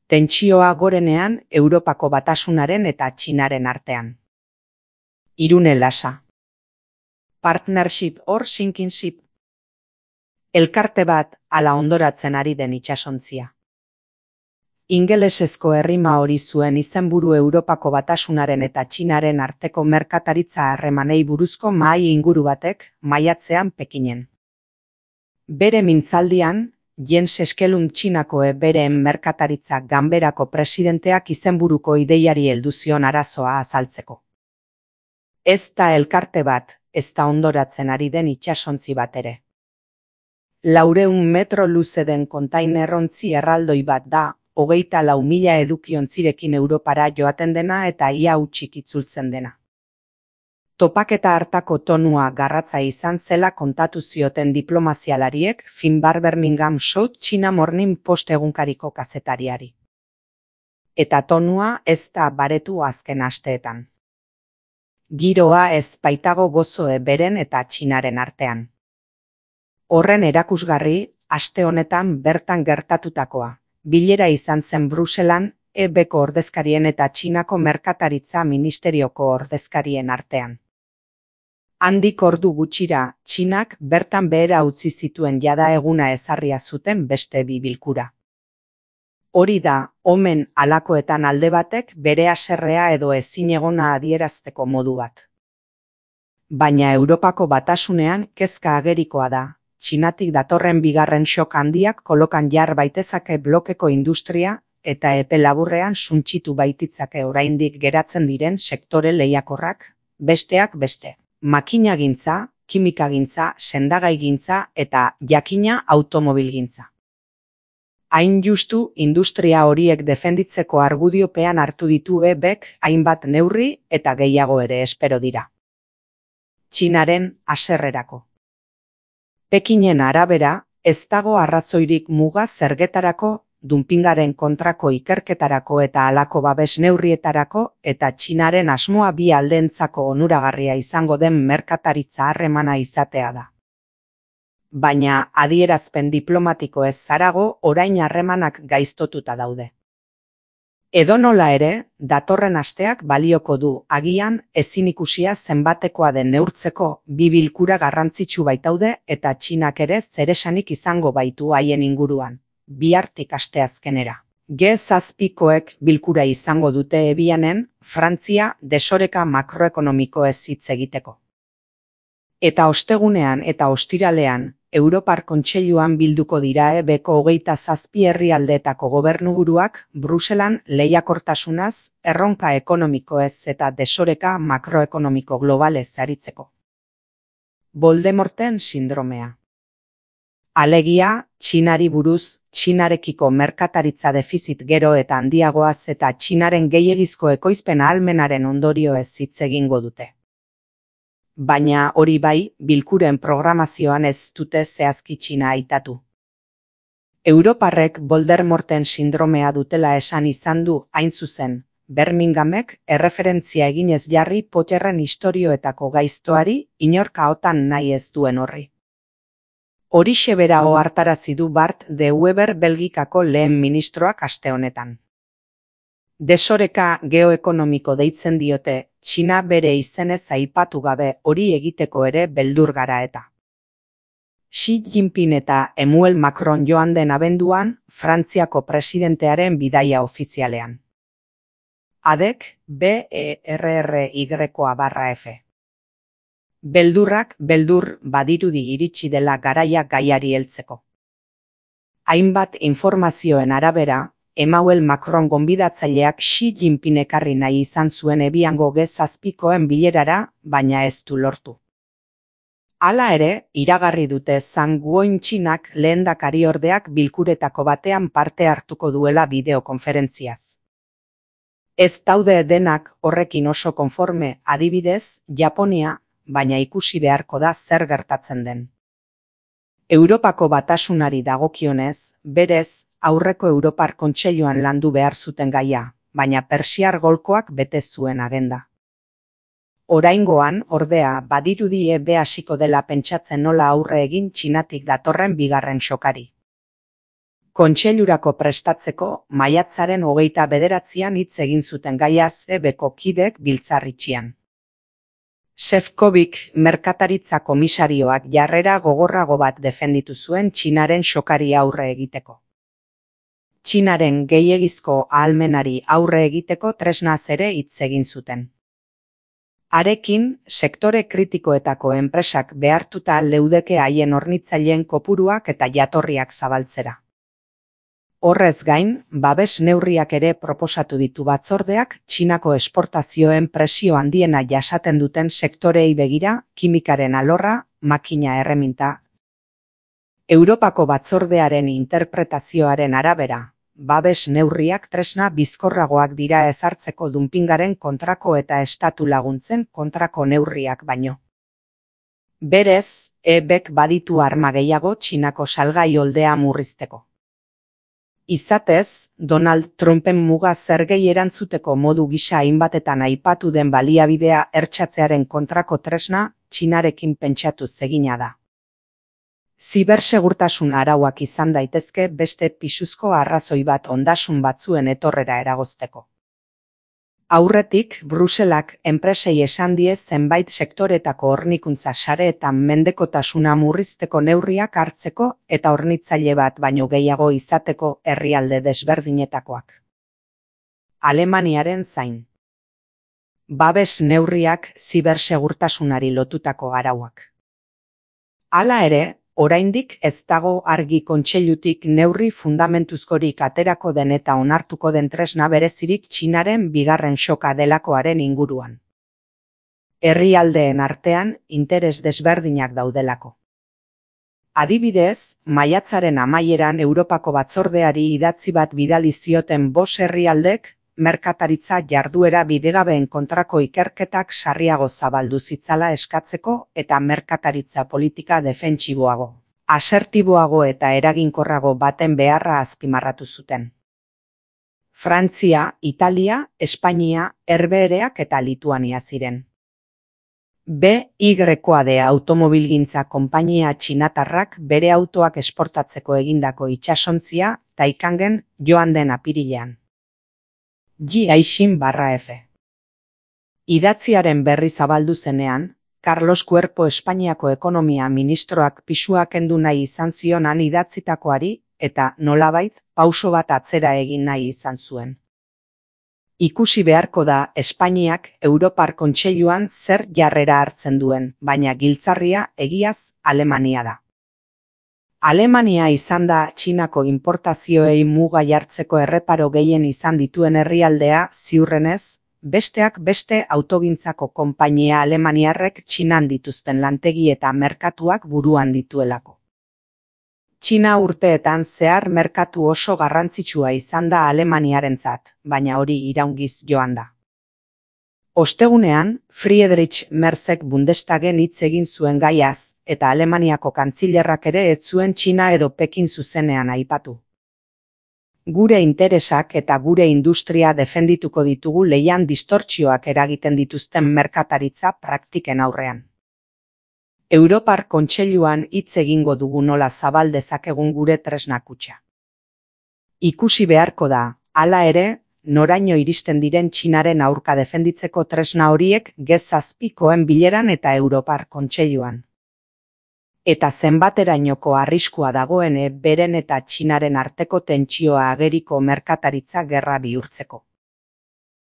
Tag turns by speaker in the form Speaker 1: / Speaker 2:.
Speaker 1: Tentsioa gorenean Europako Batasunaren eta Txinaren artean. Irune Lasa. Partnership or sinking ship. Elkarte bat ala ondoratzen ari den itsasontzia. Ingelesezko errima hori zuen izenburu Europako Batasunaren eta Txinaren arteko merkataritza harremanei buruzko mahai inguru batek maiatzean Pekinen. Bere mintzaldian, Jens Eskelun Txinako bereen merkataritza ganberako presidenteak izenburuko ideiari heldu zion arazoa azaltzeko. Ez da elkarte bat, ez da ondoratzen ari den itsasontzi bat ere. 400 metro luze den kontainerontzi erraldoi bat da, 24.000 edukiontzirekin Europara joaten dena eta ia hutsik itzultzen dena. Topaketa hartako tonua garratza izan zela kontatu zioten diplomazialariek Finbar Birmingham South China Morning Post egunkariko kazetariari. Eta tonua ez da baretu azken asteetan. Giroa ez baitago gozoe beren eta Txinaren artean. Horren erakusgarri, aste honetan bertan gertatutakoa. Bilera izan zen Bruselan, EBko ordezkarien eta Txinako merkataritza ministerioko ordezkarien artean. Handik ordu gutxira, Txinak bertan behera utzi zituen jada eguna ezarria zuten beste bi bilkura. Hori da, omen halakoetan alde batek bere haserrea edo ezinegona adierazteko modu bat. Baina Europako Batasunean kezka agerikoa da, Txinatik datorren bigarren shock handiak kolokan jar baitezake blokeko industria eta epe laburrean suntsitu baititzake oraindik geratzen diren sektore lehiakorrak, besteak beste. Makinagintza, kimikagintza, sendagaigintza eta jakina automobilgintza. Hain justu, industria horiek defenditzeko argudiopean hartu ditu EBek hainbat neurri eta gehiago ere espero dira. Txinaren haserrerako. Pekinen arabera, ez dago arrazoirik muga zergetarako, dumpingaren kontrako ikerketarako eta halako babes neurrietarako eta Txinaren asmoa bi aldeentzako onuragarria izango den merkataritza harremana izatea da. Baina adierazpen diplomatiko ez zarago orain harremanak gaiztotuta daude. Edonola ere, datorren asteak balioko du agian ezin ikusia zenbatekoa den neurtzeko bi bilkura garrantzitsu baitaude eta Txinak ere zeresanik izango baitu haien inguruan. Bihartik asteazkenera. G7koek bilkura izango dute Ebianen, Frantzia desoreka makroekonomikoez hitz egiteko. Eta ostegunean eta ostiralean, Europar Kontseiluan bilduko dira EBko 27 herrialdeetako gobernuburuak Bruselan lehiakortasunaz, erronka ekonomikoez eta desoreka makroekonomiko globalez aritzeko. Voldemorten sindromea. Alegia, Txinari buruz, Txinarekiko merkataritza defizit gero eta handiagoaz eta Txinaren gehiegizko ekoizpen ahalmenaren ondorioez hitz egingo dute. Baina hori bai, bilkuren programazioan ez dute zehazki Txina aitatu. Europarrek Voldemorten sindromea dutela esan izan du hain zuzen, Birminghamek erreferentzia eginez jarri Potterren istorioetako gaiztoari inork ahotan nahi ez duen horri. Horixe bera ohartarazi du Bart de Wever Belgikako lehen ministroak aste honetan. Desoreka geoekonomiko deitzen diote, Txina bere izenez aipatu gabe hori egiteko ere beldur gara eta. Xi Jinping eta Emmanuel Macron joan den abenduan, Frantziako presidentearen bidaia ofizialean. Adek, BERRY-F. Beldurrak beldur badirudi iritsi dela garaia gaiari heltzeko. Hainbat informazioen arabera, Emmanuel Macron gonbidatzaileak Xi Jinping ekarri nahi izan zuen Ebiango G7koen bilerara, baina ez du lortu. Hala ere, iragarri dute Zhang Guoyin Txinak lehendakariordeak bilkuretako batean parte hartuko duela bideokonferentziaz. Ez daude denak horrekin oso konforme, adibidez, Japonia, baina ikusi beharko da zer gertatzen den. Europako Batasunari dagokionez, berez, aurreko Europar Kontseiluan landu behar zuten gaia, baina Persiar golkoak bete zuen agenda. Oraingoan, ordea, badirudi EB hasiko dela pentsatzen nola aurre egin Txinatik datorren bigarren xokari. Kontseilurako prestatzeko maiatzaren 29an hitz egin zuten gaiaz EBko kidek biltzar itxian. Šefčovič merkataritza komisarioak jarrera gogorrago bat defenditu zuen Txinaren xokari aurre egiteko. Txinaren gehiegizko ahalmenari aurre egiteko tresnaz ere hitz egin zuten. Harekin, sektore kritikoetako enpresak behartuta leudeke haien hornitzaileen kopuruak eta jatorriak zabaltzera. Horrez gain, babes neurriak ere proposatu ditu batzordeak Txinako esportazioen presio handiena jasaten duten sektoreei begira, kimikaren alorra, makina erreminta. Europako batzordearen interpretazioaren arabera, babes neurriak tresna bizkorragoak dira ezartzeko dumpingaren kontrako eta estatu laguntzen kontrako neurriak baino. Berez, EBek baditu arma gehiago Txinako salgai oldea murrizteko. Izatez, Donald Trumpen muga zergei erantzuteko modu gisa hainbatetan aipatu den baliabidea hertsatzearen kontrako tresna Txinarekin pentsatuz egina da. Zibersegurtasun arauak izan daitezke beste pisuzko arrazoi bat ondasun batzuen etorrera eragozteko. Aurretik, Bruselak enpresei esan die zenbait sektoretako hornikuntza sareetan mendekotasuna murrizteko neurriak hartzeko eta hornitzaile bat baino gehiago izateko herrialde desberdinetakoak. Alemaniaren zain. Babes neurriak zibersegurtasunari lotutako arauak. Hala ere, oraindik ez dago argi kontseilutik neurri fundamentuzkorik aterako den eta onartuko den tresna berezirik Txinaren bigarren xoka delakoaren inguruan. Herrialdeen artean interes desberdinak daudelako. Adibidez, maiatzaren amaieran Europako batzordeari idatzi bat bidali zioten 5 herrialdek, merkataritza jarduera bidegabeen kontrako ikerketak sarriago zabaldu zitzala eskatzeko eta merkataritza politika defentsiboago, asertiboago eta eraginkorrago baten beharra azpimarratu zuten. Frantzia, Italia, Espainia, Herbehereak eta Lituania ziren. BYD automobilgintza konpainia txinatarrak bere autoak esportatzeko egindako itsasontzia Taikangen joan den apirilean. G-Aixin/F. Idatziaren berri zabaldu zenean, Carlos Cuerpo Espainiako ekonomia ministroak pisua kendu nahi izan zionan idatzitakoari eta nolabait pauso bat atzera egin nahi izan zuen. Ikusi beharko da Espainiak Europar Kontseiluan zer jarrera hartzen duen, baina giltzarria egiaz Alemania da. Alemania izan da Txinako inportazioei muga jartzeko erreparo gehien izan dituen herrialdea ziurrenez, besteak beste autogintzako konpainia alemaniarrek Txinan dituzten lantegi eta merkatuak buruan dituelako. Txina urteetan zehar merkatu oso garrantzitsua izan da Alemaniarentzat, baina hori iraungiz joan da. Ostegunean, Friedrich Merzek Bundestagen hitz egin zuen gaiaz, eta Alemaniako kantzilerrak ere ez zuen Txina edo Pekin zuzenean aipatu. Gure interesak eta gure industria defendituko ditugu leian distortzioak eragiten dituzten merkataritza praktiken aurrean. Europar Kontseiluan hitz egingo dugu nola zabal dezakegun gure tresna kutxa. Ikusi beharko da, hala ere, noraino iristen diren Txinaren aurka defenditzeko tresna horiek G7koen bileran eta Europar Kontseiluan. Eta zenbaterainoko arriskua dagoen beren eta Txinaren arteko tentsioa ageriko merkataritza gerra bihurtzeko.